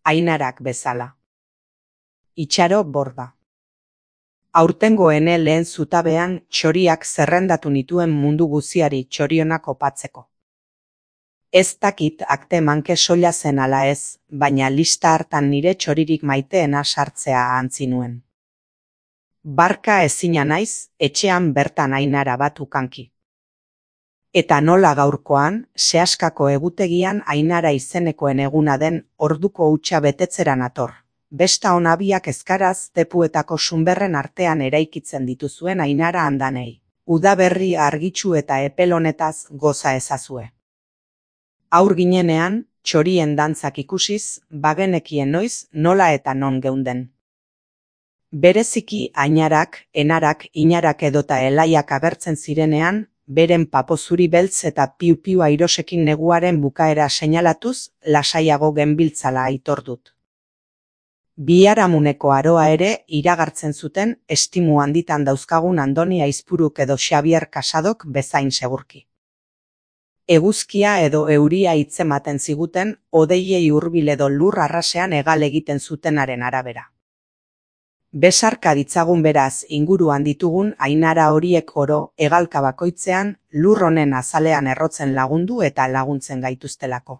Ainarak bezala. Itxaro borda. Aurtengo ene lehen zutabean txoriak zerrendatu nituen mundu guziari txorionak opatzeko. Ez dakit akte manke soila zen ala ez, baina lista hartan nire txoririk maiteena sartzea ahantzi nuen. Barka ezina naiz, etxean bertan Ainara bat ukanki. Eta nola gaurkoan, sehaskako egutegian Ainara izenekoen eguna den orduko hutsa betetzera nator. Besta onabiak ezkaraz tepuetako sunberren artean eraikitzen dituzuen Ainara andanei. Udaberri argitsu eta epelonetaz goza ezazue. Aur ginenean, txorien dantzak ikusiz, bagenekien noiz nola eta non geunden. Bereziki Ainarak, Enarak, Inarak edota Elaiak agertzen zirenean, beren papo zuri beltz eta piu-piu airosekin neguaren bukaera seinalatuz, lasaiago genbiltzala aitor dut. Biharamuneko aroa ere iragartzen zuten estimu handitan dauzkagun Andoni Aizpuruk edo Xabier Casadok bezain segurki. Eguzkia edo euria hitzematen ziguten hodeiei hurbil edo lur arrasean hegal egiten zutenaren arabera. Besarka ditzagun beraz inguruan ditugun Ainara horiek oro hegalka bakoitzean lur honen azalean errotzen lagundu eta laguntzen gaituztelako.